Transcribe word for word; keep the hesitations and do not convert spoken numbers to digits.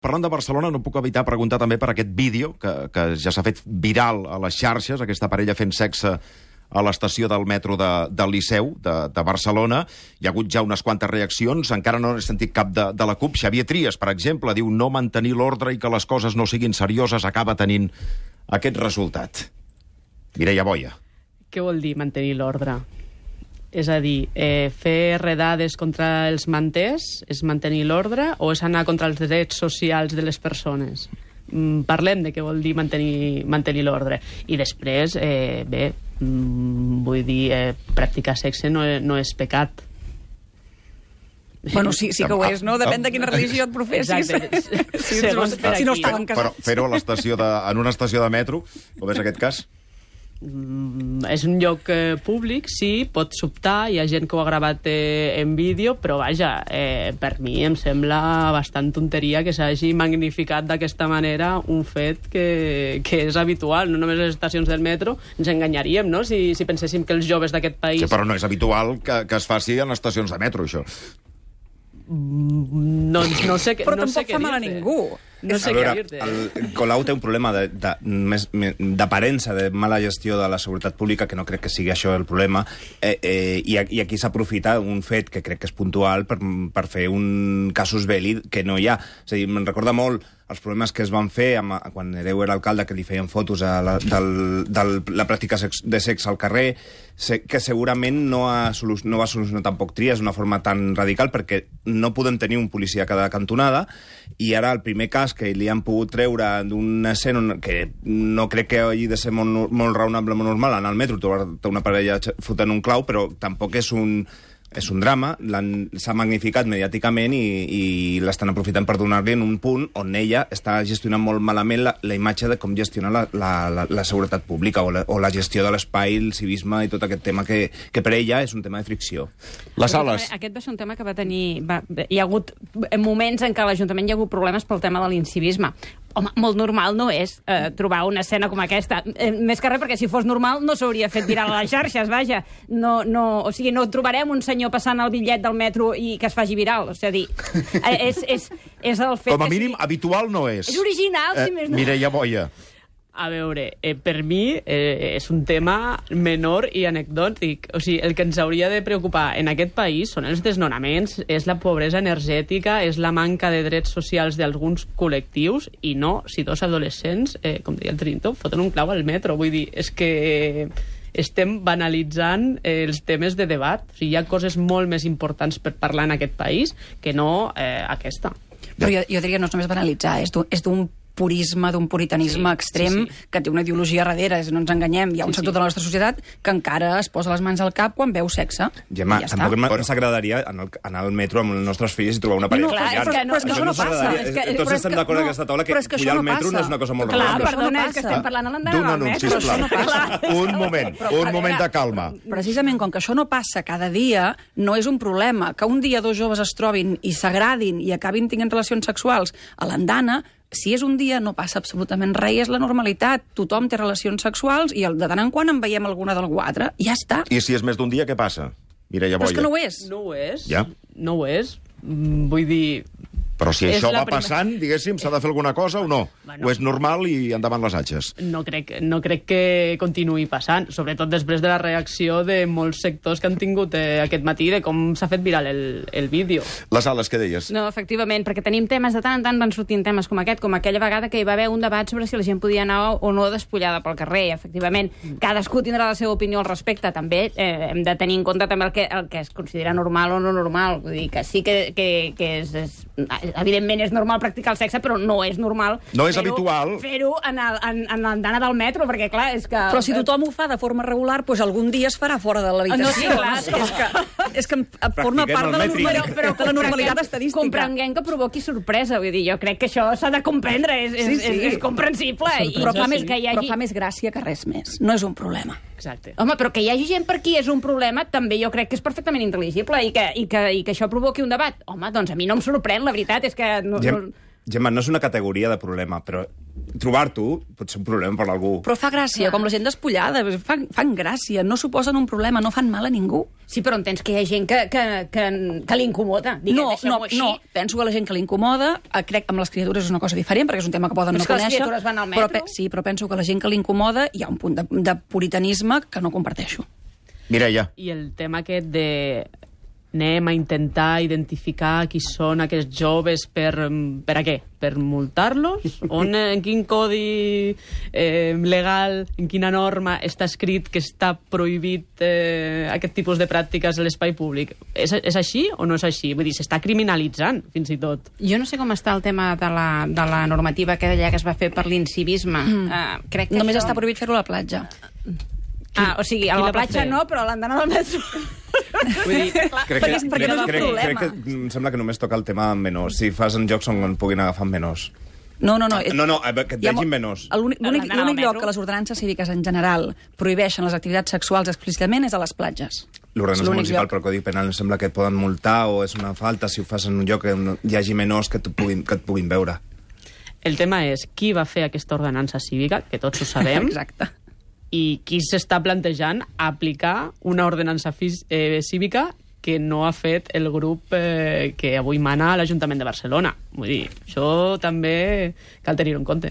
Parlant de Barcelona, no puc evitar preguntar també per aquest vídeo que, que ja s'ha fet viral a les xarxes, aquesta parella fent sexe a l'estació del metro de, del Liceu de, de Barcelona. Hi ha hagut ja unes quantes reaccions, encara no he sentit cap de, de la CUP. Xavier Trias, per exemple, diu no mantenir l'ordre i que les coses no siguin serioses acaba tenint aquest resultat. Mireia Boia. Què vol dir mantenir l'ordre? És a dir, eh, fer redades contra els manters és mantenir l'ordre o és anar contra els drets socials de les persones? Mm, parlem de què vol dir mantenir, mantenir l'ordre. I després, eh, bé, mm, vull dir, eh, practicar sexe no, no és pecat. Bueno, sí, sí que ho és, no? Depèn de quina religió et professis. Exacte. Si, Segons per si no aquí. estaven Però casats. fer-ho a l'estació de, en una estació de metro, com és aquest cas? Mm, és un lloc eh, públic, sí, pot sobtar, hi ha gent que ho ha gravat eh, en vídeo, però vaja, eh, per mi em sembla bastant tonteria que s'hagi magnificat d'aquesta manera un fet que, que és habitual, no només a les estacions del metro, ens enganyaríem, no?, si, si penséssim que els joves d'aquest país... Sí, però no és habitual que, que es faci en estacions de metro, això. No, no sé, Però no sé tampoc fa mal a ningú. No sé a veure, què dir-te. el Colau té un problema de- de- més- me- d'aparença, de mala gestió de la seguretat pública, que no crec que sigui això el problema, eh, eh, i, a- i aquí s'aprofita un fet que crec que és puntual per, per fer un casus belli que no hi ha. És a dir, me'n recorda molt els problemes que es van fer amb, quan Hereu era alcalde, que li feien fotos a la, del, del, la pràctica sex, de sexe al carrer, se, que segurament no, ha solu, no va solucionar tampoc Trias d'una forma tan radical, perquè no podem tenir un policia a cada cantonada, i ara el primer cas que li han pogut treure d'una escena que no crec que hagi de ser molt, molt raonable, molt normal, anar al metro, trobar una parella fotent un clau, però tampoc és un... És un drama, s'ha magnificat mediàticament i, i l'estan aprofitant per donar-li en un punt on ella està gestionant molt malament la, la imatge de com gestiona la, la, la, la seguretat pública o la, o la gestió de l'espai, el civisme i tot aquest tema que, que per ella és un tema de fricció. Les sales. Aquest va ser un tema que va tenir... Va, hi ha hagut moments en què a l'Ajuntament hi ha hagut problemes pel tema de l'incivisme. Home, molt normal no és eh, trobar una escena com aquesta. Eh, més que res, perquè si fos normal no s'hauria fet viral a les xarxes, vaja. No, no, o sigui, no trobarem un senyor passant el bitllet del metro i que es faci viral. O sigui, eh, és, és, és el fet Com a que mínim, sigui... habitual no és. És original, si més no. Mireia Boia. A veure, eh, per mi eh, és un tema menor i anecdòtic. O sigui, el que ens hauria de preocupar en aquest país són els desnonaments, és la pobresa energètica, és la manca de drets socials d'alguns col·lectius, i no si dos adolescents, eh, com deia el Trinto, foten un clau al metro. Vull dir, és que estem banalitzant eh, els temes de debat. O sigui, hi ha coses molt més importants per parlar en aquest país que no eh, aquesta. Però jo, jo diria no és només banalitzar, és d'un- és d'un purisme, d'un puritanisme Sí, extrem, sí, sí. que té una ideologia darrere, és, no ens enganyem. Hi ha un Sí, sector sí. de la nostra societat que encara es posa les mans al cap quan veu sexe. Gemma, I ja tampoc està. ens agradaria anar al, anar al metro amb els nostres fills i trobar una parella No, clar, follant. és que no- però és que això no passa. s'agradaria. És que- Tots però és estem que- d'acord no, en aquesta taula que però és que això pujar al no metro no passa. és una cosa molt Clar, raonable. això no perdona, és que passa. estem parlant a l'endana D'un del anunci, metro. sisplau. no passa. Un moment, un moment de calma. Precisament com que això no passa cada dia, no és un problema. Que un dia dos joves es trobin i s'agradin i acabin tinguent relacions sexuals a l'andana, si és un dia no passa absolutament res, és la normalitat. Tothom té relacions sexuals i el de tant en quant en veiem alguna d'algú altre. I ja està. I si és més d'un dia, què passa? Mireia Però és Boia. que no ho és. No ho és. Ja. No ho és. Mm, vull dir... Però si És això la va prima- passant, diguéssim, s'ha de fer alguna cosa o no? Bueno. O és normal i endavant les atxes? No crec, no crec que continuï passant, sobretot després de la reacció de molts sectors que han tingut eh, aquest matí de com s'ha fet viral el, el vídeo. Les ales, què deies? No, efectivament, perquè tenim temes de tant en tant van sortint temes com aquest, com aquella vegada que hi va haver un debat sobre si la gent podia anar o no despullada pel carrer. Efectivament, cadascú tindrà la seva opinió al respecte. També eh, hem de tenir en compte també el que, el que es considera normal o no normal. Vull dir que sí que, que, que és, és... Evidentment és normal practicar el sexe, però no és normal No és fer-ho- habitual. fer-ho en, el, en, en l'andana del metro, perquè clar, és que... Però si tothom ho fa de forma regular, doncs algun dia es farà fora de l'habitació. No, sí, clar, és, que, és que forma Practiquem part el de la, mètric. normali- però, de la normalitat estadística. Comprenguem que provoqui sorpresa, vull dir, jo crec que això s'ha de comprendre, és, és, Sí, sí. és, és comprensible. I, Però fa, sí, més, que hi però hagi... fa més gràcia que res més. No és un problema. Exacte. Home, però que hi hagi gent per aquí és un problema, també jo crec que és perfectament intel·ligible i que, i que, i que això provoqui un debat. Home, doncs a mi no em sorprèn, la veritat és que... No, Gem, no... Gemma, no és una categoria de problema, però trobar-t'ho pot ser un problema per algú. Però fa gràcia, com la gent despullada, fan, fan gràcia, no suposen un problema, no fan mal a ningú. Sí, però entens que hi ha gent que, que, que, que li incomoda. Diguem, No, no, no, penso que la gent que li incomoda, eh, crec que amb les criatures és una cosa diferent, perquè és un tema que poden Però no és que les conèixer. criatures van al però, metro. pe- sí, però penso que la gent que li incomoda hi ha un punt de, de puritanisme que no comparteixo. Mireia. I el tema aquest de anem a intentar identificar qui són aquests joves per, per a què? Per multar-los? On, en quin codi eh, legal, en quina norma està escrit que està prohibit eh, aquest tipus de pràctiques a l'espai públic? És, és així o no és així? Vull dir, s'està criminalitzant, fins i tot. Jo no sé com està el tema de la, de la normativa que deia que es va fer per l'incivisme. Mm. Uh, crec que Només això... està prohibit fer-ho a la platja. Ah, o sigui, a qui la la va platja fer? no, però a l'andana del metro... Vull dir, Crec Perquè- que, perquè crec, no és un crec, problema. crec que em sembla que només toca el tema amb menors. Si fas en jocs on puguin agafar amb menors. No, no, no. No, no, eh, que et Hi ha vegin mo- menors. L'únic l'únic- L'anar al l'únic lloc metro. que les ordenances cíviques en general prohibeixen les activitats sexuals explícitament és a les platges. L'ordenança És l'únic municipal lloc. per Codi Penal em sembla que et poden multar o és una falta si ho fas en un lloc on hi hagi menors que, puguin, que et puguin veure. el tema és qui va fer aquesta ordenança cívica, que tots ho sabem, Exacte. i qui s'està plantejant aplicar una ordenança fis- eh, cívica que no ha fet el grup eh, que avui mana a l'Ajuntament de Barcelona. Vull dir, això també cal tenir-ho en compte.